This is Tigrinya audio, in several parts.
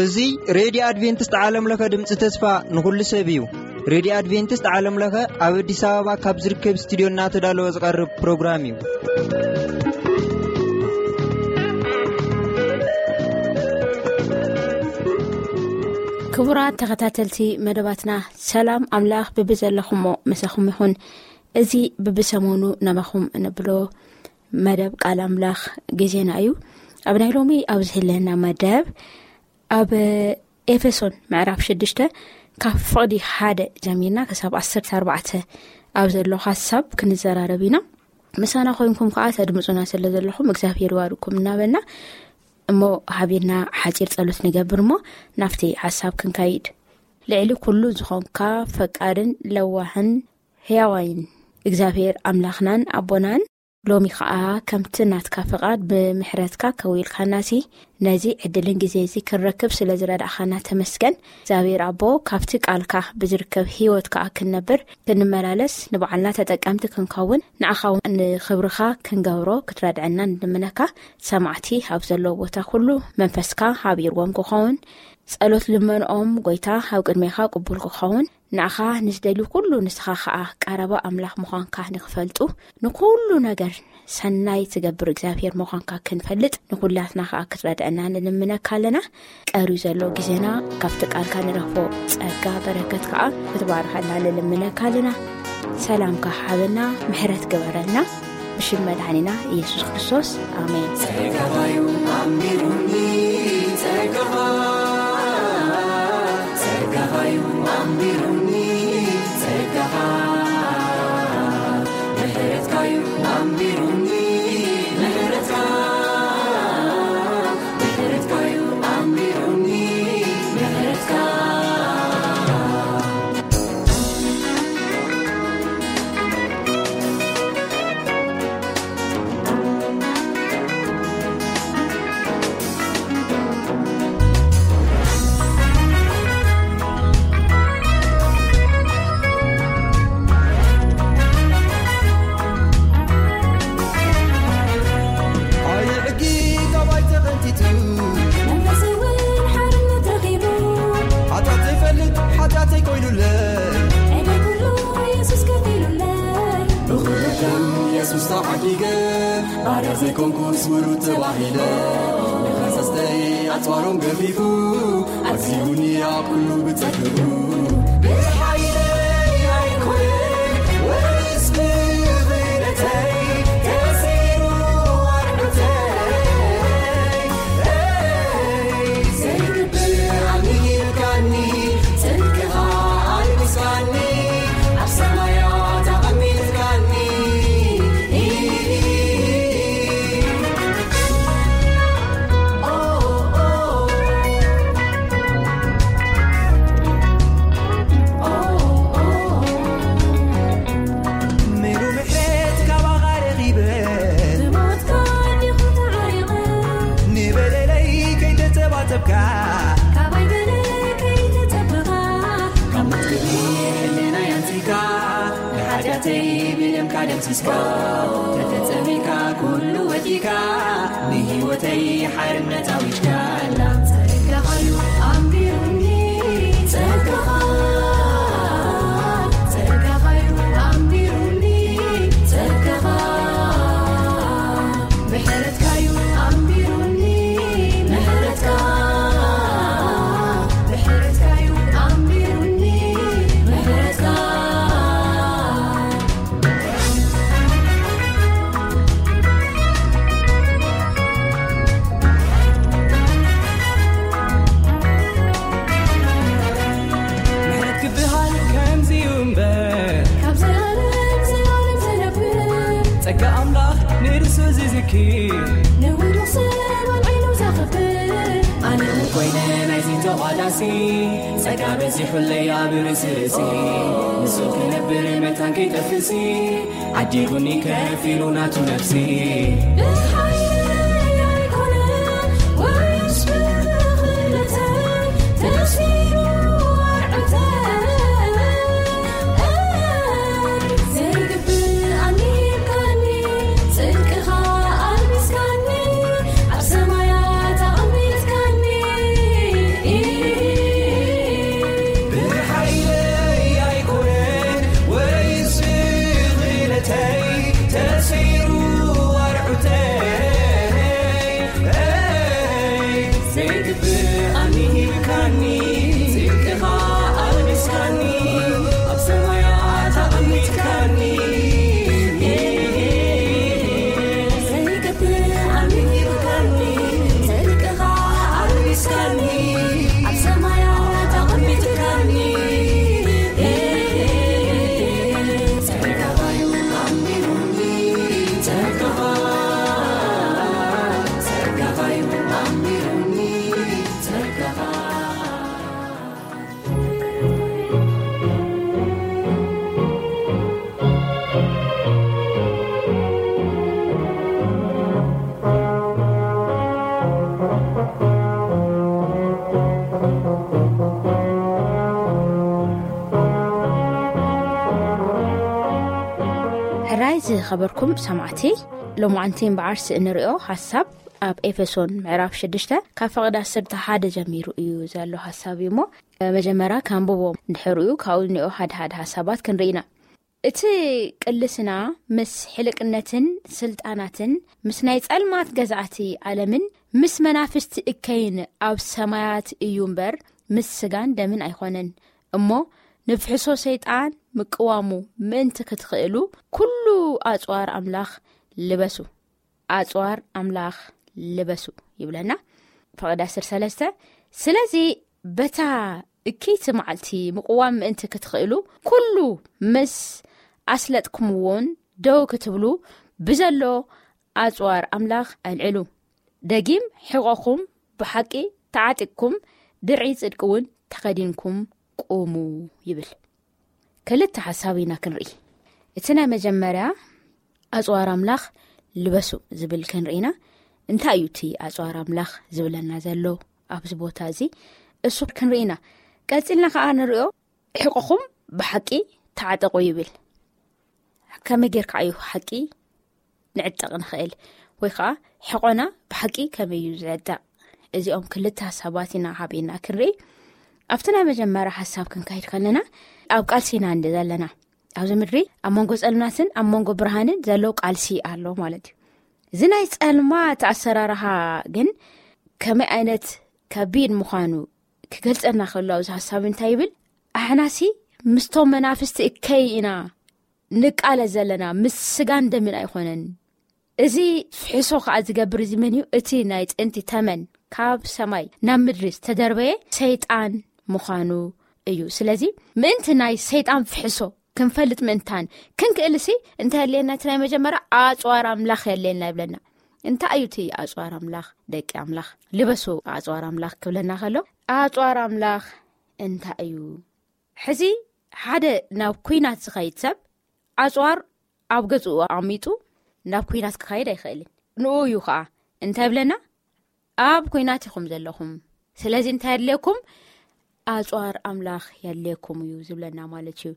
እዚ ሬድዮ ኣድቬንቲስት ዓለም ለኸ ድምፂ ተስፋ ንኹሉ ሰብ እዩ። ሬድዮ ኣድቬንቲስት ዓለም ለኸ ኣብ ኣዲስ ኣበባ ካብ ዝርከብ ስቱዲዮ እናተዳለወ ዝቐርብ ፕሮግራም እዩ። ክቡራት ተኸታተልቲ መደባትና፣ ሰላም ኣምላኽ ብብዘለኹሞ ምሳኹም ይኹን። እዚ ብብሰሙኑ ናባኹም እንብሎ መደብ ቃል ኣምላኽ ግዜና እዩ። ኣብ ናይ ሎሚ ኣብ ዝህለና መደብ፣ ኣብ ኤፌሶን ምዕራፍ ሽዱሽተ ካብ ፍቕዲ ሓደ ጀሚርና ክሳብ ዓሰርተ ኣርባዕተ ኣብ ዘሎ ሓሳብ ክንዘራረብ ኢና። ምሳና ኮይንኩም ከዓ ተድምፁና ስለ ዘለኹም እግዚኣብሔር ይባርኩም እናበልና፣ እሞ ሓቢርና ሓፂር ጸሎት ንገብር እሞ ናብቲ ሓሳብ ክንከይድ። ልዕሊ ኩሉ ዝኾንካ ፈቃርን ለዋህን ሕያዋይን እግዚኣብሔር ኣምላኽናን ኣቦናን፣ ሎሚ ኸኣ ከምቲ ናትካ ፍቓድ ብምሕረትካ ከዊልካናሲ፣ ነዚ ዕድልን ግዜ እዚ ክንረክብ ስለ ዝረዳእኻና ተመስገን። እግዚኣብሔር ኣቦ፣ ካብቲ ቃልካ ብዝርከብ ህይወት ከኣ ክንነብር፣ ክንመላለስ፣ ንባዕልና ተጠቀምቲ ክንከውን፣ ንዓኻ እውን ንኽብርኻ ክንገብሮ ክትረድዐና ንልምነካ። ሰማዕቲ ኣብ ዘለዎ ቦታ ኩሉ መንፈስካ ሓቢርዎም ክኸውን፣ ጸሎት ልመንኦም፣ ጎይታ፣ ኣብ ቅድሜኻ ቅቡል ክኸውን፣ ንዓኻ ንዝደልዩ ኩሉ ንስኻ ኸኣ ቀረባ ኣምላኽ ምዃንካ ንኽፈልጡ፣ ንኩሉ ነገር ሰናይ ትገብር እግዚኣብሔር ምዃንካ ክንፈልጥ፣ ንኩላትና ኸኣ ክትረድአና ንልምነካ ኣለና። ቀርዩ ዘሎ ግዜና ካብቲ ቃልካ ንረኽቦ ጸጋ በረከት ከኣ ክትባርኸልና ንልምነካ ኣለና። ሰላምካ ሃበና፣ ምሕረት ግበረልና። ብሽም መድሓኒና ኢየሱስ ክርስቶስ፣ ኣሜን። ጸጋኻ እዩ ኣንቢሩኒ፣ ጸጋኻ፣ ጸጋኻ እዩ ኣንቢሩኒ፣ ጸጋኻ፣ ምሕረትካ እዩ ኣንቢሩኒ፣ ምሕረትካ፣ ምሕረትካ እዩ ኣንቢሩኒ፣ ምሕረትካ። ኣየ ሕጊ ካባይ ተቐንጢጡ፣ መንፈሰይ እውን ሓርነት ረኺቡ፣ ሓጢኣት ዘይፈልጥ ሓጢኣተይ ኮይኑለይ፣ ዕዳይ ኩሉ የሱስ ከፊሉለይ። ብኽብሪ ደም የሱስ ተዓዲገ፣ ባርያ ዘይኮንኩ ስውሩ ተባሂለ። ንኸሰስተይ ኣጽዋሮም ገፊፉ፣ ኣግዚቡኒ ኣብ ኩሉ ብጸግኡ። ብሓይለይ ኣይኮነን ወይስ ብኽእለተይ፣ ተሲሩ ኣርዑተይ። ዘይግብር ኣሚንካኒ፣ ጽድቅኻ ኣልቢስካኒ፣ ኣብ ሰማያት ኣቐሚጥካኒ። ኦ፣ ኦ፣ ኦ። ኦ፣ ኦ፣ ኦ። ምሉ ምሕረት ካባኻ ረኺበ። ብሞትካ እንዲኹ ተዓሪቐ። ንበደለይ ከይተጸባጸብካ። ካባይ በደል ከይተጸበኻ። ካብ ሞት ክብሪ ሕልናይ ኣንጺካ። ንሓጢኣተይ ብደምካ ደምሲስካ። ተፈጸሚካ ኩሉ ወዲካ። ንህይወተይ ሓርነት ኣዊጅካላ። ጸጋኻ እዩ ኣንቢሩኒ፣ ጸጋኻ፣ ጸጋኻ እዩ ኣንቢሩኒ፣ ጸጋኻ። ምሕረትካ እዩ ኣንቢሩኒ፣ ምሕረትካ፣ ምሕረትካ እዩ ኣንቢሩኒ፣ ምሕረትካ። ምሕረት ክበሃል ከምዚ እዩ እምበር። ካብ ዘላለም ዘላለም ዝነብር። ጸጋ ኣምላኽ ንርእሱ ዝዝክር። ንውዱቕ ሰብ ኣብ ዓይኑ ዘኽብር። ኣነ እውን ኮይነ ናይዚ ተቋዳሲ። ጸጋ በዚሑለይ ኣብ ርእሲ ርእሲ። ንሱ ክነብር መታን ከይጠፍእሲ። ዓዲጉኒ ከፊሉ ናቱ ነፍሲ። ብሓይለይ ኣይኮነን ወይስ ብኽእለተይ ተሲኑ ኣርዑተይ። ዘይግብእ ራይ ዝኸበርኩም ሰማዕቲ፣ ሎማዓንቲ እምበኣርስ እንሪኦ ሓሳብ ኣብ ኤፌሶን ምዕራፍ ሽዱሽተ ካብ ፈቐዳ ዓሰርተ ሓደ ጀሚሩ እዩ ዘሎ ሓሳብ እዩ እሞ፣ መጀመርያ ካንብቦም፣ ድሕሪኡ ካብኡ ዝኒኦ ሓደ ሓደ ሓሳባት ክንርኢ ኢና። እቲ ቅልስና ምስ ሕልቅነትን ስልጣናትን ምስ ናይ ጸልማት ገዛእቲ ዓለምን ምስ መናፍስቲ እከይን ኣብ ሰማያት እዩ እምበር፣ ምስ ስጋን ደምን ኣይኮነን። እሞ ንፍሕሶ ሰይጣን ምቅዋሙ ምእንቲ ክትኽእሉ፣ ኩሉ ኣጽዋር ኣምላኽ ልበሱ። ኣጽዋር ኣምላኽ ልበሱ ይብለና። ፈቐዳ ዓሰርተ ሰለስተ፣ ስለዚ በታ እኪይቲ መዓልቲ ምቕዋም ምእንቲ ክትኽእሉ፣ ኩሉ ምስ ኣስለጥኩምዎን ደው ክትብሉ ብዘሎ ኣጽዋር ኣምላኽ ኣልዕሉ። ደጊም ሕቖኹም ብሓቂ ተዓጢቕኩም፣ ድርዒ ጽድቂ እውን ተኸዲንኩም ቁሙ ይብል። ክልተ ሓሳብ ኢና ክንርኢ። እቲ ናይ መጀመርያ ኣጽዋር ኣምላኽ ልበሱ ዝብል ክንርኢና። እንታይ እዩ እቲ ኣጽዋር ኣምላኽ ዝብለና ዘሎ ኣብዚ ቦታ እዚ? እሱ ክንርኢና። ቀጺልና ከኣ ንሪኦ፣ ሕቆኹም ብሓቂ ተዓጠቑ ይብል። ከመይ ጌርካ እዩ ሓቂ ንዕጠቕ ንኽእል? ወይ ከዓ ሕቆና ብሓቂ ከመይ እዩ ዝዕጠቕ? እዚኦም ክልተ ሓሳባት ኢና ሓቢእና ክንርኢ። ኣብቲ ናይ መጀመርያ ሓሳብ ክንካይድ ከለና፣ ኣብ ቃልሲ ኢና እንደ ዘለና። ኣብዚ ምድሪ ኣብ መንጎ ጸልማትን ኣብ መንጎ ብርሃንን ዘሎ ቃልሲ ኣሎ ማለት እዩ። እዚ ናይ ጸልማት ኣሰራርሓ ግን ከመይ ዓይነት ከቢድ ምዃኑ ክገልጸልና ከሎ፣ ኣብዚ ሓሳብ እንታይ ይብል? ኣሕናሲ ምስቶም መናፍስቲ እከይ ኢና ንቃለ ዘለና፣ ምስ ስጋን ደምን ኣይኮነን። እዚ ፍሕሶ ከኣ ዝገብር እዚ መን እዩ? እቲ ናይ ጥንቲ ተመን ካብ ሰማይ ናብ ምድሪ ዝተደርበየ ሰይጣን ምዃኑ እዩ። ስለዚ ምእንቲ ናይ ሰይጣን ፍሕሶ ክንፈልጥ ምእንታን ክንክእልሲ፣ እንታይ የድልየና? እቲ ናይ መጀመርያ ኣጽዋር ኣምላኽ የድልየና ይብለና። እንታይ እዩ እቲ ኣጽዋር ኣምላኽ? ደቂ ኣምላኽ፣ ልበሱ ኣጽዋር ኣምላኽ ክብለና ከሎ፣ ኣጽዋር ኣምላኽ እንታይ እዩ? ሕዚ ሓደ ናብ ኲናት ዝኸይድ ሰብ ኣጽዋር ኣብ ገዝኡ ኣቐሚጡ ናብ ኲናት ክኸይድ ኣይኽእልን። ንኡ እዩ ኸኣ እንታይ ይብለና? ኣብ ኲናት ኢኹም ዘለኹም። ስለዚ እንታይ የድልየኩም? ኣጽዋር ኣምላኽ የድልየኩም እዩ ዝብለና ማለት እዩ።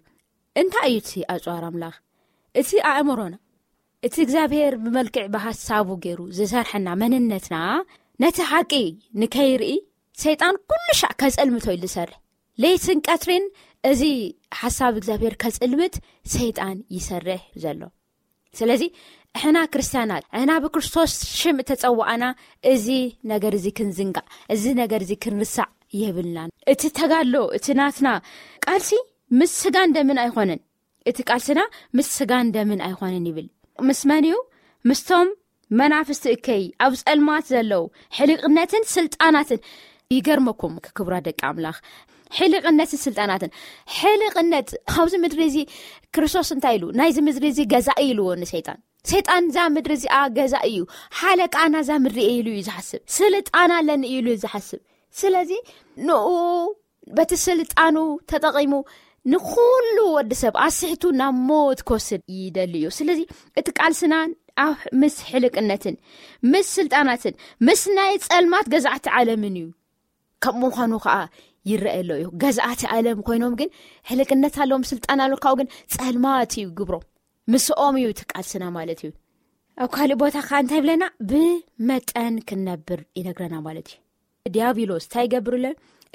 እንታይ እዩ እቲ ኣጽዋር ኣምላኽ? እቲ ኣእምሮና፣ እቲ እግዚኣብሔር ብመልክዕ ብሓሳቡ ገይሩ ዝሰርሐና መንነትና፣ ነቲ ሓቂ ንከይርኢ ሰይጣን ኩሉ ሻዕ ከጸልምቶ እዩ ዝሰርሕ። ለይትን ቀትሪን እዚ ሓሳብ እግዚኣብሔር ከጽልምት ሰይጣን ይሰርሕ ዘሎ። ስለዚ ሕና ክርስትያናት፣ ሕና ብክርስቶስ ሽም እተጸዋዕና፣ እዚ ነገር እዚ ክንዝንጋዕ፣ እዚ ነገር እዚ ክንርሳዕ የብልናን። እቲ ተጋድሎ፣ እቲ ናትና ቃልሲ ምስ ስጋን ደምን ኣይኮነን። እቲ ቃልስና ምስ ስጋን ደምን ኣይኮነን ይብል። ምስ መን እዩ? ምስቶም መናፍስቲ እከይ ኣብ ጸልማት ዘለዉ ሕልቕነትን ስልጣናትን። ይገርመኩም ክቡራት ደቂ ኣምላኽ፣ ሕልቕነትን ስልጣናትን። ሕልቕነት ኣብዚ ምድሪ እዚ ክርስቶስ እንታይ ኢሉ? ናይዚ ምድሪ እዚ ገዛኢ ኢልዎ ንሰይጣን። ሰይጣን እዛ ምድሪ እዚኣ ገዛኢ እዩ፣ ሓለቃ ናዛ ምድሪ እየ ኢሉ እዩ ዝሓስብ። ስልጣን ኣለኒ እዩ ኢሉ እዩ ዝሓስብ። ስለዚ ንኡ በቲ ስልጣኑ ተጠቒሙ ንኹሉ ወዲ ሰብ ኣስሕቱ ናብ ሞት ክወስድ ይደሊ እዩ። ስለዚ እቲ ቃልስና ኣብ ምስ ሕልቅነትን ምስ ስልጣናትን ምስ ናይ ጸልማት ገዛእቲ ዓለምን እዩ። ከም ምዃኑ ከኣ ይረአ ኣሎ እዩ። ገዛእቲ ዓለም ኮይኖም ግን ሕልቅነት ኣለዎም፣ ስልጣን ኣለዎም፣ ካብኡ ግን ጸልማት እዩ ግብሮም። ምስኦም እዩ እቲ ቃልስና ማለት እዩ። ኣብ ካልእ ቦታ ከኣ እንታይ ይብለና? ብመጠን ክንነብር ይነግረና ማለት እዩ። ዲያብሎስ እንታይ ይገብር ኣሎ?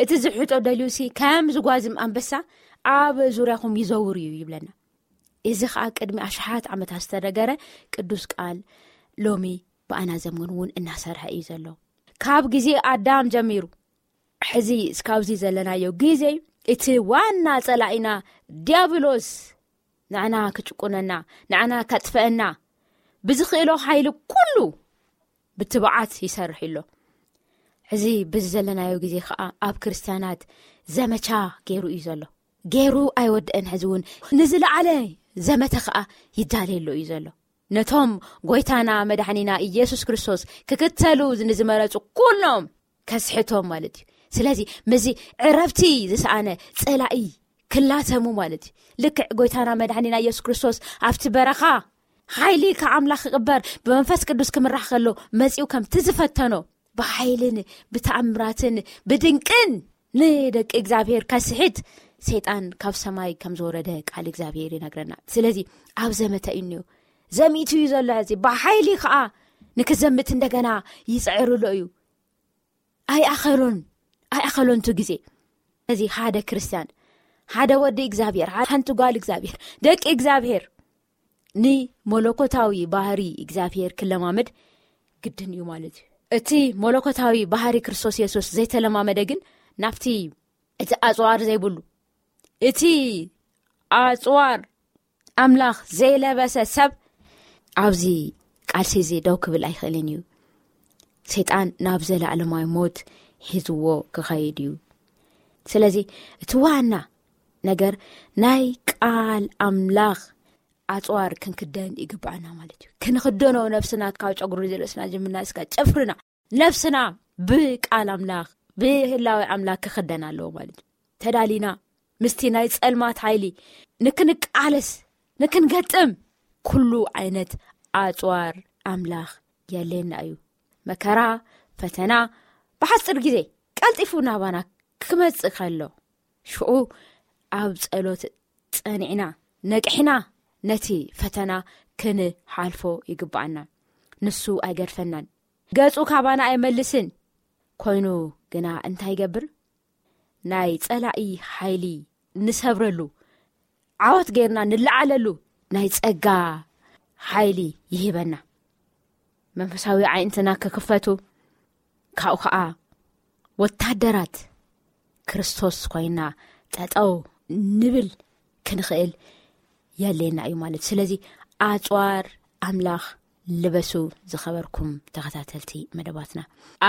እቲ ዝሕጦ ደልዩሲ ከም ዝጓዝም ኣንበሳ ኣብ ዙርያኹም ይዘውር እዩ ይብለና። እዚ ኸኣ ቅድሚ ኣሽሓት ዓመታት ዝተነገረ ቅዱስ ቃል ሎሚ ብኣና ዘመን እውን እናሰርሐ እዩ ዘሎ። ካብ ግዜ ኣዳም ጀሚሩ ሕዚ እስካብዚ ዘለናዮ ግዜ እቲ ዋና ጸላኢና ዲያብሎስ ንዓና ክጭቁነና፣ ንዓና ከጥፍአና ብዝኽእሎ ሓይሊ ኩሉ ብትብዓት ይሰርሕ ኣሎ። ሕዚ በዚ ዘለናዮ ግዜ ኸኣ ኣብ ክርስትያናት ዘመቻ ገይሩ እዩ ዘሎ። ገይሩ ኣይወድአን። ሕዚ እውን ንዝለዓለ ዘመተ ኸኣ ይዳለየሉ እዩ ዘሎ። ነቶም ጎይታና መድሓኒና ኢየሱስ ክርስቶስ ክክተሉ ንዝመረጹ ኩሎም ከስሕቶም ማለት እዩ። ስለዚ ምስዚ ዕረፍቲ ዝሰኣነ ጸላኢ ክላተሙ ማለት እዩ። ልክዕ ጎይታና መድሓኒና ኢየሱስ ክርስቶስ ኣብቲ በረኻ ሓይሊ ካብ ኣምላኽ ክቕበር ብመንፈስ ቅዱስ ክምራሕ ከሎ መጺኡ ከምቲ ዝፈተኖ ብሓይልን ብተኣምራትን ብድንቅን ንደቂ እግዚኣብሔር ከስሕት ሰይጣን ካብ ሰማይ ከም ዝወረደ ቃል እግዚኣብሔር ይነግረና። ስለዚ ኣብ ዘመተ እዩ እኒኦ። ዘሚቱ እዩ ዘሎ። እዚ ብሓይሊ ከዓ ንክዘምት እንደገና ይፅዕርሎ እዩ። ኣይኣኸሎን ኣይኣኸሎን ቱ ግዜ። እዚ ሓደ ክርስቲያን፣ ሓደ ወዲ እግዚኣብሔር፣ ሓንቲ ጓል እግዚኣብሔር፣ ደቂ እግዚኣብሔር ንመለኮታዊ ባህሪ እግዚኣብሔር ክለማመድ ግድን እዩ ማለት እዩ። እቲ መለኮታዊ ባህሪ ክርስቶስ የሱስ ዘይተለማመደ ግን ናብቲ፣ እቲ ኣፅዋር ዘይብሉ፣ እቲ ኣፅዋር ኣምላኽ ዘይለበሰ ሰብ ኣብዚ ቃልሲ እዚ ደው ክብል ኣይኽእልን እዩ። ሰይጣን ናብ ዘለኣለማዊ ሞት ሒዝዎ ክኸይድ እዩ። ስለዚ እቲ ዋና ነገር ናይ ቃል ኣምላኽ ኣፅዋር ክንክደን ይግባኣና ማለት እዩ። ክንክደኖ ነብስና ካብ ጨጉሪ ርእስና ጀምርና እስካ ጨፍርና ነብስና ብቃል ኣምላኽ ብህላዊ ኣምላኽ ክክደን ኣለዎ ማለት እዩ። ተዳሊና ምስቲ ናይ ጸልማት ሓይሊ ንክንቃለስ ንክንገጥም ኩሉ ዓይነት ኣጽዋር ኣምላኽ የለና እዩ። መከራ፣ ፈተና ብሓጽር ግዜ ቀልጢፉ ናባና ክመጽእ ከሎ ሽዑ ኣብ ጸሎት ጸኒዕና ነቅሕና ነቲ ፈተና ክንሓልፎ ይግባኣና። ንሱ ኣይገድፈናን፣ ገጹ ካባና ኣይመልስን። ኮይኑ ግና እንታይ ይገብር? ናይ ጸላኢ ሓይሊ ንሰብረሉ፣ ዓወት ጌርና ንለዓለሉ ናይ ጸጋ ሓይሊ ይህበና። መንፈሳዊ ዓይንትና ክክፈቱ፣ ካብኡ ኸዓ ወታደራት ክርስቶስ ኮይና ጠጠው ንብል ክንኽእል የድልየና እዩ ማለት። ስለዚ ኣጽዋር ኣምላኽ ልበሱ። ዝኸበርኩም ተኸታተልቲ መደባትና፣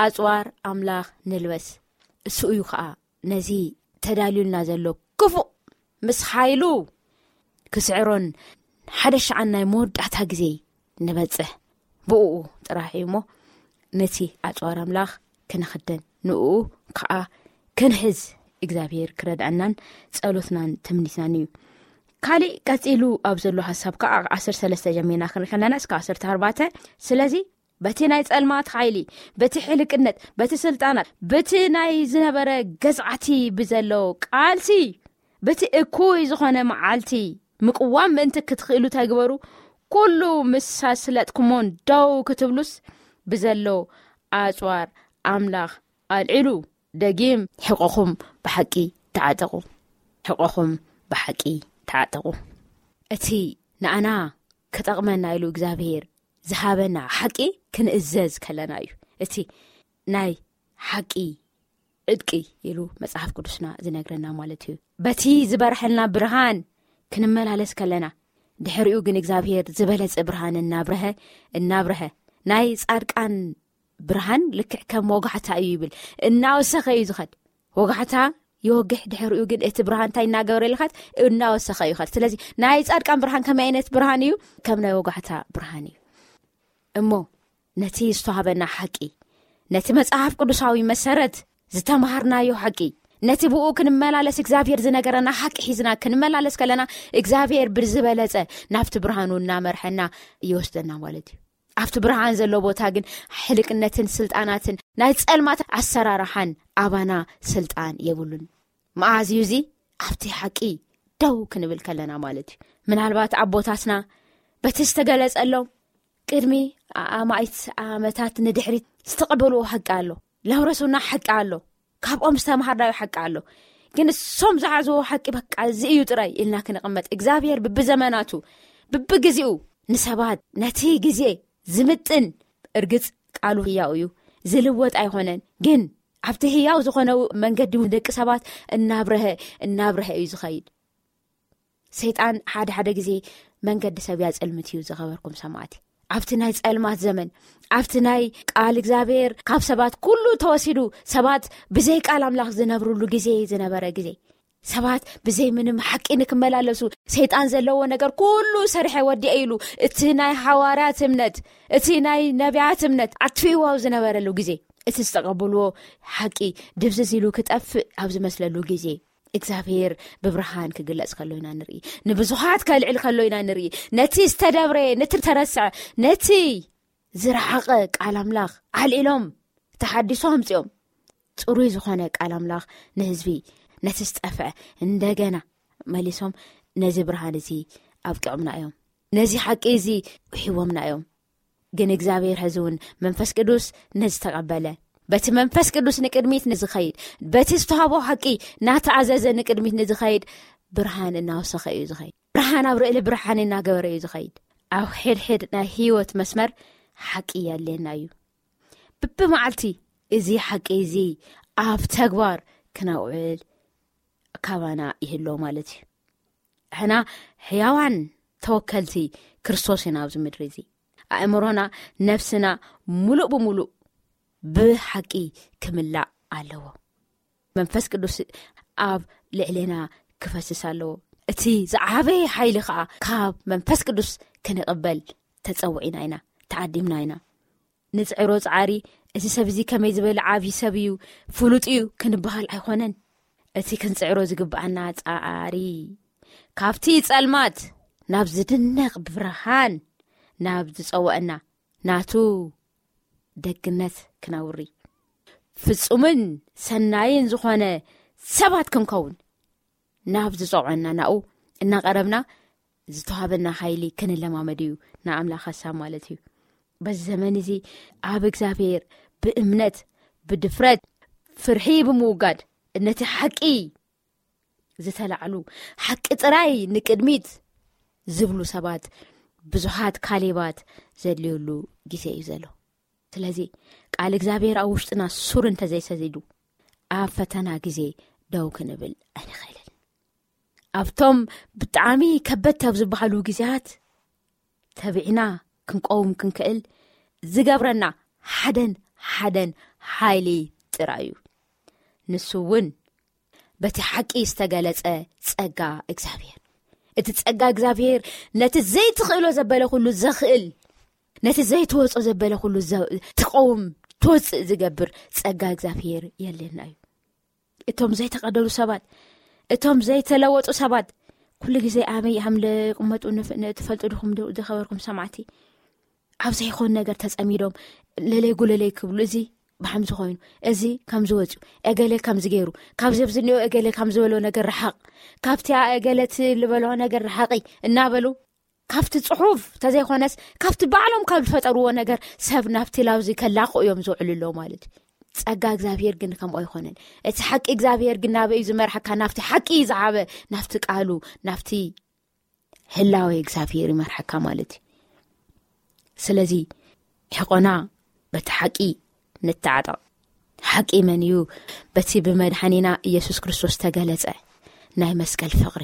ኣጽዋር ኣምላኽ ንልበስ። እሱ እዩ ኸዓ ነዚ ተዳልዩልና ዘሎ ክፉእ ምስ ሓይሉ ክስዕሮን ሓደ ሸዓን ናይ መወዳእታ ግዜ ንበጽሕ። ብእኡ ጥራሕ እዩ እሞ ነቲ ኣጽዋር ኣምላኽ ክንኽደን፣ ንእኡ ከዓ ክንሕዝ እግዚኣብሔር ክረድኣናን ጸሎትናን ትምኒትናን እዩ። ካሊእ ቀጺሉ ኣብ ዘሎ ሓሳብ ከዓ ዓሰርተ ሰለስተ ጀሚርና ክንርኢ ከለና እስከ ዓሰርተ ኣርባዕተ፣ ስለዚ በቲ ናይ ጸልማት ሓይሊ፣ በቲ ሕልቅነት፣ በቲ ስልጣናት፣ በቲ ናይ ዝነበረ ገዝዓቲ ብዘሎ ቃልሲ፣ በቲ እኩይ ዝኾነ መዓልቲ ምቅዋም ምእንቲ ክትኽእሉ ተግበሩ። ኩሉ ምስ ኣስለጥኩሞን ደው ክትብሉስ ብዘሎ ኣጽዋር ኣምላኽ ኣልዕሉ። ደጊም ሕቆኹም ብሓቂ ተዓጠቑ። ሕቆኹም ብሓቂ ተዓጠቑ። እቲ ንኣና ክጠቕመና ኢሉ እግዚኣብሔር ዝሃበና ሓቂ ክንእዘዝ ከለና እዩ። እቲ ናይ ሓቂ ዕጥቂ ኢሉ መጽሓፍ ቅዱስና ዝነግረና ማለት እዩ። በቲ ዝበርሐልና ብርሃን ክንመላለስ ከለና፣ ድሕሪኡ ግን እግዚኣብሔር ዝበለጸ ብርሃን እናብረሀ፣ እናብረሀ፣ ናይ ጻድቃን ብርሃን ልክዕ ከም ወጋሕታ እዩ ይብል፣ እናወሰኸ እዩ ዝኸድ። ወጋሕታ ይወግሕ፣ ድሕሪኡ ግን እቲ ብርሃን እንታይ እናገበረ ይልኸድ? እናወሰኸ እዩ ይኸድ። ስለዚ ናይ ጻድቃን ብርሃን ከመይ ዓይነት ብርሃን እዩ? ከም ናይ ወጋሕታ ብርሃን እዩ። እሞ ነቲ ዝተዋህበና ሓቂ፣ ነቲ መጽሓፍ ቅዱሳዊ መሰረት ዝተማሃርናዮ ሓቂ፣ ነቲ ብኡ ክንመላለስ እግዚኣብሔር ዝነገረና ሓቂ ሒዝና ክንመላለስ ከለና፣ እግዚኣብሔር ብዝበለጸ ናብቲ ብርሃኑ እናመርሐና ይወስደና ማለት እዩ። ኣብቲ ብርሃን ዘሎ ቦታ ግን ሕልቅነትን ስልጣናትን ናይ ጸልማት ኣሰራርሓን ኣባና ስልጣን የብሉን። መዓዝ እዩ እዚ? ኣብቲ ሓቂ ደው ክንብል ከለና ማለት እዩ። ምናልባት ኣቦታትና በቲ ዝተገለጸሎም ቅድሚ ኣማኢት ዓመታት ንድሕሪት ዝተቐበልዎ ሓቂ ኣሎ፣ ለውረሱና ሓቂ ኣሎ፣ ካብኦም ዝተምሃርናዮ ሓቂ ኣሎ። ግን እሶም ዝሓዝዎ ሓቂ በቃ እዚ እዩ ጥራይ ኢልና ክንቕመጥ፣ እግዚኣብሔር ብብዘመናቱ ብብግዜኡ ንሰባት ነቲ ግዜ ዝምጥን፣ እርግጽ ቃሉ ህያው እዩ፣ ዝልወጥ ኣይኾነን። ግን ኣብቲ ህያው ዝኾነ መንገዲ ደቂ ሰባት እናብረሀ እናብረሀ እዩ ዝኸይድ። ሰይጣን ሓደ ሓደ ግዜ መንገዲ ሰብ ያጸልምት እዩ። ዝኸበርኩም ሰማዕቲ፣ ኣብቲ ናይ ጸልማት ዘመን፣ ኣብቲ ናይ ቃል እግዚኣብሔር ካብ ሰባት ኩሉ ተወሲዱ፣ ሰባት ብዘይ ቃል ኣምላኽ ዝነብርሉ ግዜ ዝነበረ ግዜ፣ ሰባት ብዘይ ምንም ሓቂ ንክመላለሱ ሰይጣን ዘለዎ ነገር ኩሉ ሰሪሐ ወዲኤ ኢሉ እቲ ናይ ሓዋርያት እምነት፣ እቲ ናይ ነቢያት እምነት ኣትፊዎ ኣብ ዝነበረሉ ግዜ፣ እቲ ዝተቐበልዎ ሓቂ ድብዝዝ ኢሉ ክጠፍእ ኣብ ዝመስለሉ ግዜ፣ እግዚኣብሔር ብብርሃን ክግለጽ ከሎ ኢና ንርኢ። ንብዙሃት ከልዕል ከሎ ኢና ንርኢ። ነቲ ዝተደብረ፣ ነቲ ተረስዐ፣ ነቲ ዝረሓቐ ቃል ኣምላኽ ኣልዒሎም፣ ተሓድሶ ኣምጺኦም፣ ጽሩይ ዝኾነ ቃል ኣምላኽ ንህዝቢ ነቲ ዝጠፍዐ እንደገና መሊሶም ነዚ ብርሃን እዚ ኣብቅዖምና እዮም። ነዚ ሓቂ እዚ ውሒቦምና እዮም። ግን እግዚኣብሔር ሕዚ እውን መንፈስ ቅዱስ ነዚ ተቐበለ። በቲ መንፈስ ቅዱስ ንቅድሚት ንዝኸይድ፣ በቲ ዝተዋህቦ ሓቂ ናተኣዘዘ ንቅድሚት ንዝኸይድ ብርሃን እናወሰኸ እዩ ዝኸይድ። ብርሃን ኣብ ርእሊ ብርሃን እናገበረ እዩ ዝኸይድ። ኣብ ሕድሕድ ናይ ህይወት መስመር ሓቂ የድልየና እዩ። ብብመዓልቲ እዚ ሓቂ እዚ ኣብ ተግባር ክነውዕል ካባና ይህሎ ማለት እዩ። ሕና ሕያዋን ተወከልቲ ክርስቶስ ኢና ኣብዚ ምድሪ እዚ። ኣእምሮና፣ ነፍስና ሙሉእ ብሙሉእ ብሓቂ ክምላእ ኣለዎ። መንፈስ ቅዱስ ኣብ ልዕሌና ክፈስስ ኣለዎ። እቲ ዝዓበየ ሓይሊ ከዓ ካብ መንፈስ ቅዱስ ክንቕበል ተጸውዒና ኢና፣ ተዓዲምና ኢና። ንጽዕሮ ጻዕሪ፣ እዚ ሰብ እዚ ከመይ ዝበለ ዓብዪ ሰብ እዩ፣ ፍሉጥ እዩ ክንበሃል ኣይኮነን። እቲ ክንጽዕሮ ዝግብኣና ጻዕሪ፣ ካብቲ ጸልማት ናብ ዝድነቕ ብርሃን ናብ ዝጸውዐና ናቱ ደግነት ክነውሪ፣ ፍጹምን ሰናይን ዝኾነ ሰባት ክንከውን ናብ ዝጸውዐና ናኡ እናቐረብና ዝተዋህበና ሓይሊ ክንለማመድ እዩ ንኣምላኽ ሓሳብ ማለት እዩ። በዚ ዘመን እዚ ኣብ እግዚኣብሔር ብእምነት፣ ብድፍረት፣ ፍርሒ ብምውጋድ ነቲ ሓቂ ዝተላዕሉ፣ ሓቂ ጥራይ ንቅድሚት ዝብሉ ሰባት ብዙሓት ካሌባት ዘድልየሉ ግዜ እዩ ዘሎ። ስለዚ ቃል እግዚኣብሔር ኣብ ውሽጥና ሱር እንተዘይሰዚዱ ኣብ ፈተና ግዜ ደው ክንብል ኣይንኽእልን። ኣብቶም ብጣዕሚ ከበድቲ ኣብ ዝበሃሉ ግዜያት ተቢዕና ክንቀውም ክንክእል ዝገብረና ሓደን ሓደን ሓይሊ ጥራይ እዩ። ንሱ እውን በቲ ሓቂ ዝተገለጸ ጸጋ እግዚኣብሔር። እቲ ጸጋ እግዚኣብሔር ነቲ ዘይትኽእሎ ዘበለ ኩሉ ዘኽእል፣ ነቲ ዘይትወጾ ዘበለ ኩሉ ዘ-፣ ትቐውም፣ ትወጽእ ዝገብር ጸጋ እግዚኣብሔር የለና እዩ። እቶም ዘይተቐደሉ ሰባት፣ እቶም ዘይተለወጡ ሰባት፣ ኩሉ ግዜ ኣበይ ከም ዝቕመጡ ንፍ-፣ ን-፣ ትፈልጡ ዲኹም ዶ-፣ ዝኸበርኩም ሰማዕቲ? ኣብ ዘይኮን ነገር ተጸሚዶም ለለይ ጉለለይ ክብሉ፣ እዚ ብሓምዚ ኮይኑ፣ እዚ ከም ዝወጽኡ፣ እገሌ ከም ዝገይሩ፣ ካብዚ ኣብዚ እኒኦ እገሌ ከም ዝበሎ ነገር ረሓቕ፣ ካብቲ እገለት ዝበሎ ነገር ረሓቒ እናበሉ፣ ካብቲ ጽሑፍ ተዘይኮነስ ካብቲ ባዕሎም ካብ ዝፈጠርዎ ነገር ሰብ ናብቲ ላውዚ ከላኽዑ እዮም ዝውዕሉ ኣለዉ ማለት እዩ። ጸጋ እግዚኣብሔር ግን ከምኡ ኣይኮነን። እቲ ሓቂ እግዚኣብሔር ግን ናበይ እዩ ዝመርሓካ? ናብቲ ሓቂ ዝዓበ፣ ናብቲ ቃሉ፣ ናብቲ ህላዌ እግዚኣብሔር ይመርሓካ ማለት እዩ። ስለዚ ሕቆና በቲ ሓቂ ንተዓጠቕ። ሓቂ መን እዩ? በቲ ብመድሓኒና ኢየሱስ ክርስቶስ ተገለጸ ናይ መስቀል ፍቕሪ።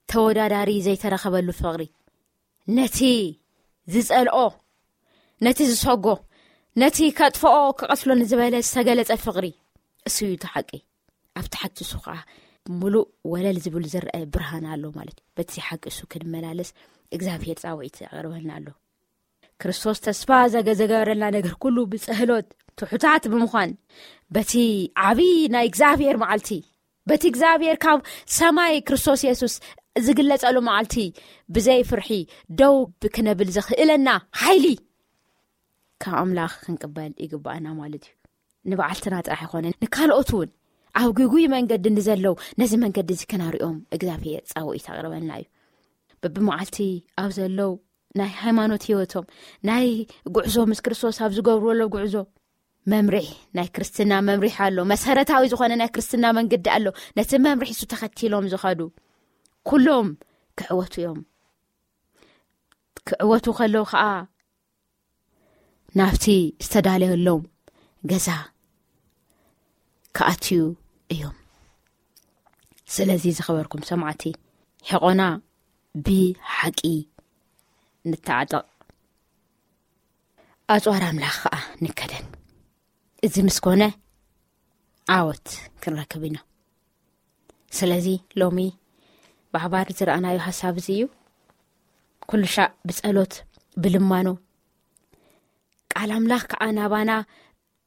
ተወዳዳሪ ዘይተረኸበሉ ፍቕሪ። ነቲ ዝጸልኦ፣ ነቲ ዝሰጎ፣ ነቲ ከጥፍኦ ክቐትሎ ንዝበለ ዝተገለጸ ፍቕሪ። እሱ እዩ እቲ ሓቂ። ኣብቲ ሓቂ እሱ ከዓ ሙሉእ ወለል ዝብል ዝረአ ብርሃን ኣሎ ማለት እዩ። በቲ ሓቂ እሱ ክንመላለስ እግዚኣብሔር ጻውዒት ኣቕርበልና ኣሎ። ክርስቶስ ተስፋ ዘገ-፣ ዘገበረልና ነገር ኩሉ ብጸህሎት ትሑታት ብምዃን በቲ ዓቢ ናይ እግዚኣብሔር መዓልቲ፣ በቲ እግዚኣብሔር ካብ ሰማይ ክርስቶስ የሱስ ዝግለጸሉ መዓልቲ ብዘይ ፍርሒ ደው ብክነብል ዘኽእለና ሓይሊ ካብ ኣምላኽ ክንቅበል ይግባኣና ማለት እዩ። ንበዓልትና ጥራሕ ኣይኮነን፣ ንካልኦት እውን ኣብ ግጉይ መንገዲ ንዘለው ነዚ መንገዲ እዚ ክናርኦም እግዚኣብሔር ጻውዒት ኣቕርበልና እዩ። በብመዓልቲ ኣብ ዘለው ናይ ሃይማኖት ህይወቶም፣ ናይ ጉዕዞ ምስ ክርስቶስ ኣብ ዝገብርዎ ጉዕዞ መምርሒ፣ ናይ ክርስትና መምርሒ ኣሎ። መሰረታዊ ዝኾነ ናይ ክርስትና መንገዲ ኣሎ። ነቲ መምርሒ እሱ ተኸቲሎም ዝኸዱ ኩሎም ክዕወቱ እዮም። ክዕወቱ ከለዉ ኸኣ ናብቲ ዝተዳለየሎም ገዛ ክኣትዩ እዮም። ስለዚ ዝኸበርኩም ሰማዕቲ፣ ሕቆና ብሓቂ ንተዓጠቕ፣ ኣጽዋር ኣምላኽ ከኣ ንከደን። እዚ ምስ ኮነ ዓወት ክንረክብ ኢና። ስለዚ ሎሚ ብሓባር ዝረኣናዮ ሓሳብ እዚ እዩ። ኩሉ ሻዕ ብጸሎት፣ ብልማኖ፣ ቃል ኣምላኽ ከኣ ናባና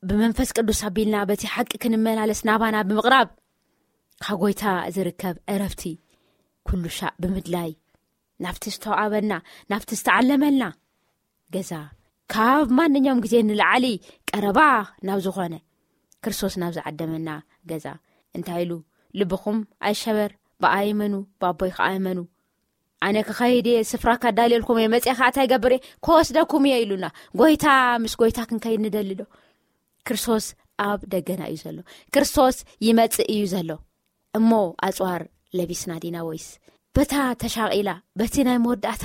ብመንፈስ ቅዱስ ኣቢልና በቲ ሓቂ ክንመላለስ ናባና ብምቕራብ ካብ ጐይታ ዝርከብ ዕረፍቲ ኩሉ ሻዕ ብምድላይ ናብቲ ዝተዋዕበና፣ ናብቲ ዝተዓለመልና ገዛ፣ ካብ ማንኛውም ግዜ ንላዕሊ ቀረባ ናብ ዝኾነ ክርስቶስ ናብ ዝዓደመና ገዛ እንታይ ኢሉ? "ልብኹም ኣይሸበር፣ ብኣይ እመኑ፣ ብኣቦይ ከኣ እመኑ። ኣነ ክኸይድ እየ፣ ስፍራ ካዳልየልኩም እየ፣ መጺኤ ከኣ እንታይ ይገብር እየ? ክወስደኩም እየ" ኢሉና። ጎይታ ምስ ጎይታ ክንከይድ ንደሊ ዶ? ክርስቶስ ኣብ ደገና እዩ ዘሎ። ክርስቶስ ይመጽእ እዩ ዘሎ። እሞ ኣጽዋር ለቢስና ዲና ወይስ በታ ተሻቒላ፣ በቲ ናይ መወዳእታ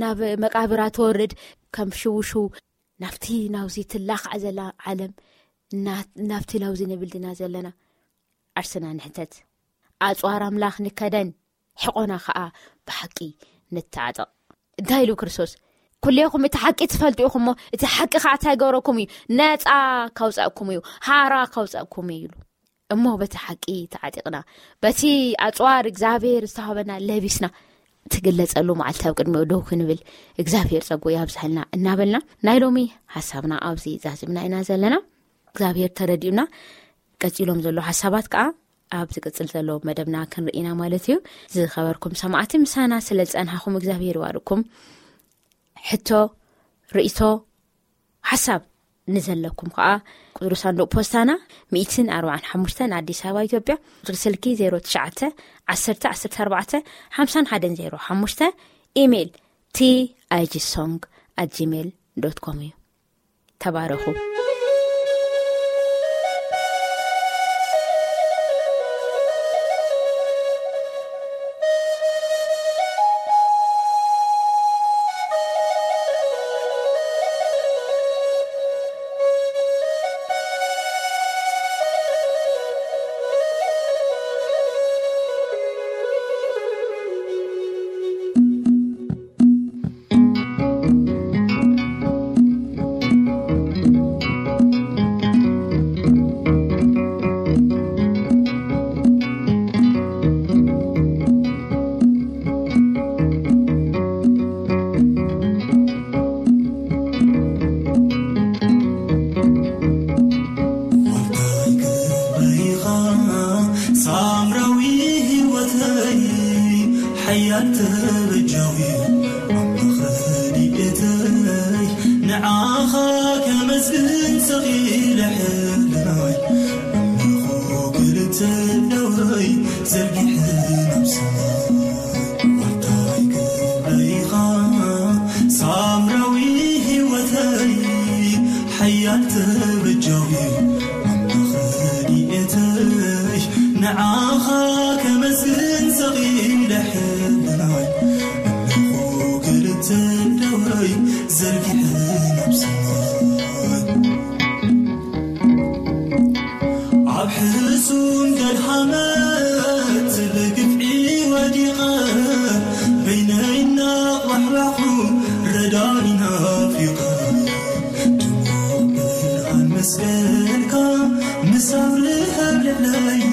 ናብ መቃብራ ትወርድ ከም ሽውሽው ናብቲ ናውዚ ትላኻዕ ዘላ ዓለም፣ እና-፣ ናብቲ ናውዚ ንብል ዲና ዘለና? ዓርስና ንሕተት። ኣጽዋር ኣምላኽ ንከደን፣ ሕቖና ኸኣ ብሓቂ ንተዓጠቕ። እንታይ ኢሉ ክርስቶስ? "ኩሌኹም እቲ ሓቂ ትፈልጡ ኢኹም እሞ፣ እቲ ሓቂ ኸኣ እንታይ ገረኩም እዩ? ነጻ ካውጻእኩም እዩ፣ ሃራ ካውጻእኩም እዩ" ኢሉ። እሞ በቲ ሓቂ ተዓጢቕና፣ በቲ ኣጽዋር እግዚኣብሔር ዝተዋህበና ለቢስና፣ ትግለጸሉ መዓልቲ ኣብ ቅድሚኡ ደው ክንብል እግዚኣብሔር ጸጉ ያብዝሐልና እናበልና፣ ናይ ሎሚ ሓሳብና ኣብዚ ዛዝምና ኢና ዘለና። እግዚኣብሔር ተረዲኡና፣ ቀጺሎም ዘለዉ ሓሳባት ከኣ ኣብ ዝቅጽል ዘሎ መደብና ክንርኢ ኢና ማለት እዩ። ዝኸበርኩም ሰማዕቲ፣ ምሳና ስለ ዝጸንሓኹም እግዚኣብሔር ይባርኩም። ሕቶ፣ ርእይቶ፣ ሓሳብ ንዘለኩም ከኣ ቁጽሪ ሳንዱቕ ፖስታና ሚእትን ኣርባዓን ሓሙሽተን ኣዲስ ኣበባ ኢትዮጵያ፣ ቁጽሪ ስልኪ ዜሮ ትሽዓተ ዓሰርተ ዓሰርተ ኣርባዕተ ሓምሳን ሓደን ዜሮ ሓሙሽተ፣ ኢሜይል ቲ ኣይ ጂ ሶንግ ኣት ጂሜይል ዶት ኮም እዩ። ተባረኹ። ዋልታይ ክብረይኻ ሳምራዊ ህይወተይ፣ ሓያል ተበጃዊ ኣምላኽ ረድኤተይ፣ ንዓኻ ከመስግን ሰቒለ ሕልናይ፣ ኣምልኾ ክልተ እደወይ ዘርጊሐ ናብ ሰማይ። ዋልታይ ክብረይኻ ሳምራዊ ህይወተይ፣ ሓያል ተበጃዊ ኣምላኽ ረድኤተይ፣ ንዓኻ ከመስግን ሰቒለ ሕልናይ፣ ኣምልኾ ክልተ እደወይ ዘርጊሐ ናብ ሰማይ። ኣብ ሕሱም ደልሃመት ብግፍዒ ወዲቐ፣ በይነይ እናቋሕባሕኩ ረዳኢ ናፊቐ፣ ድሙቕ ብርሃን መስቀልካ ምስ ኣብርሀ ኣብ ልዕለይ፣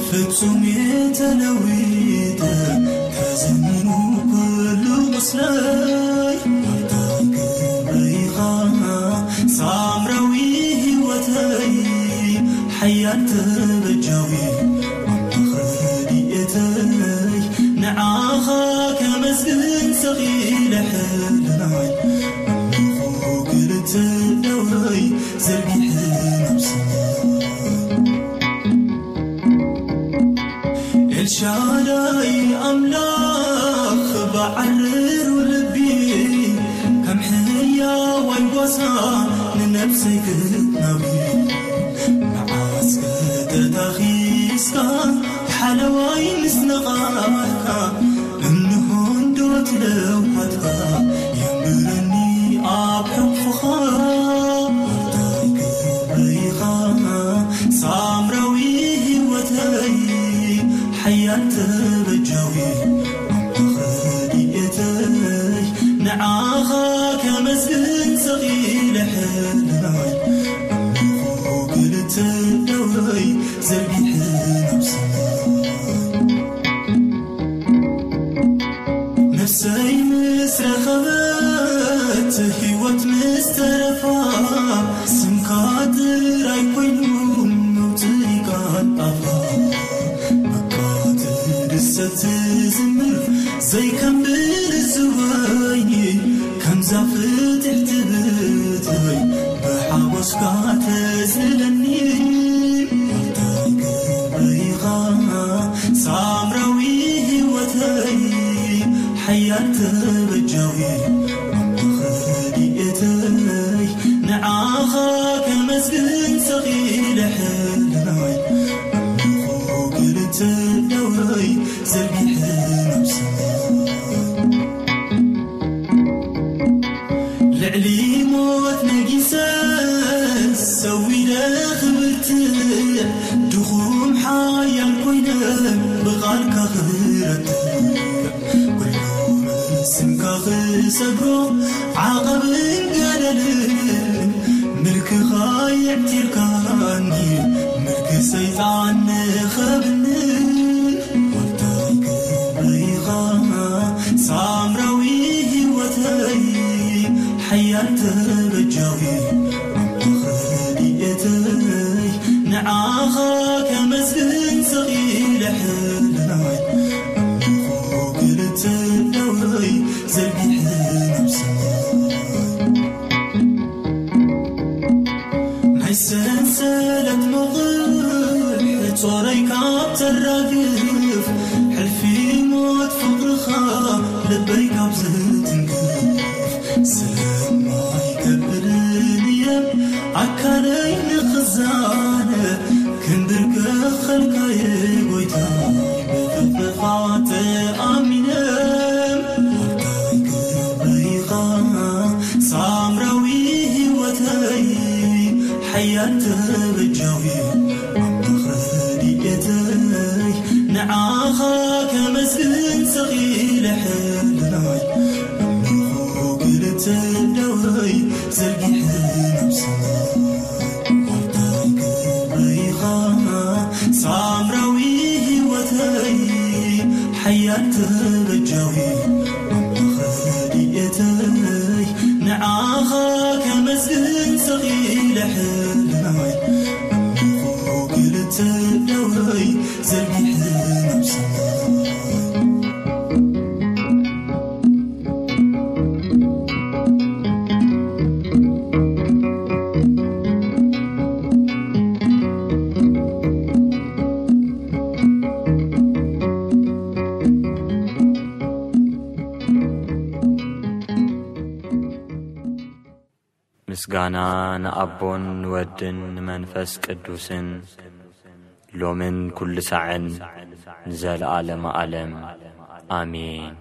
ፍጹም እየ ተለዊጠ፣ ተዘሚኑ ኩሉ ቁስለይ። ዋልታ ክብረይኻ ሳምራዊ ህይወተይ፣ ሓያል ተበጃዊ ኣምላኽ ረድኤተይ፣ ንዓኻ ከመስግን ሰቒለ ሕልናይ፣ ኣምልኾ ክልተ እደወይ ዘርጊሐ ናብ ሰማይ። ኤልሻዳይ ኣምላኽ ብዓርሩ ልቢ፣ ከም ሕያዋይ ጓሳ ንነብሰይ ክትናቢ። መዓስ ከተታኺስካ ሓለዋይ ምስ ነቓሕካ፣ እንሆ እንዶ ትለውሃትካ የንብረኒ ኣብ ሕቕፍኻ። ዋልታይ ክብረይኻ ሳምራዊ ህይወተይ፣ ሓያል ተበጃዊ ኣምላኽ ረድኤተይ፣ ንዓኻ ከመስግን ሰቒለ ሕልናይ፣ ኣምልኾ ክልተ እደወይ ዘርጊሐ ናብ ሰማይ። ነፍሰይ ምስ ረኸበት፣ ህይወት ምስ ተረፋ፣ ስምካ ጥራይ ኮይኑ መውጽኢካ ኣፋ። በቃ ትድሰት ትዝምር ዘይከምብል ዝወይኒ፣ ከምዛ ፍትሕቲ ብትይ ብሓጎስካ ተዝለኒ። ዋልታ ሓያል ተበጃዊ ኣምላኽ ረድኤተይ፣ ንዓኻ ከመስግን ሰኺለ ሕልናይ። ኣምልኾ ክልተ እደወይ ዘርጊሐ ናብ ሰማይ። ልዕሊ ሞት ነጊሰ ሰዊደ ክብርትዕ፣ ድኹም ሓያል ኮይነ ብቓልካ ክረትዕ። ኩሉ ብስምካ ክሰግሮ ዓቐብን ገደልን፣ ምልክኻ የዕቲርካኒ፣ ምልኪ ሰይጣን ንኸብኒ። ወልታይ ክብሪ ኢኻ ሳምራዊ ህይወተይ፣ ሓያል ተበጃዊ ኣምላኽ ረድኤተይ፣ ንዓኻ ከመስግን ሰኺለ ሕልናይ። ኣምልኾ ክልተ እደወይ ዘርጊሐ ናብ ሰማይ። ናይ ሰንሰለት መቑሕ ጾረይ ካብ ተራግፍ፣ ሕልፊ ሞት ፍቕርኻ ልበይ ካብ ዝትንክፍ፣ ሰማይ ከብርን እየ ኣካለይ ንኽዛነ፣ ክንብርከኸልካየ ጎይታይ ብፍቕርኻ ተኣሚነ። ወልታይ ክብሪ ኢኻ ሳምራዊ ህይወተይ፣ ሓያል ተበጃዊ ኣምላኽ ረድኤተይ፣ ንዓኻ ከመስግን ሰኺለ ሕልናይ። ኣምልኾ ክልተ እደወይ ዘርጊሐ ናብ ሰማይ። ወልታይ ክብሪ ኢኻ ሳምራዊ ህይወተይ፣ ሓያል ተበጃዊ ኣምላኽ ረድኤተይ፣ ንዓኻ ከመስግን ሰኺለ ሕልናይ። ኣምልኾ ክልተ እደወይ ዘርጊሐ ናብ ሰማይ። ምስጋና ንኣቦን ንወድን ንመንፈስ ቅዱስን፣ ሎምን ኩሉ ሳዕን፣ ንዘለዓለመ ዓለም። ኣሜን።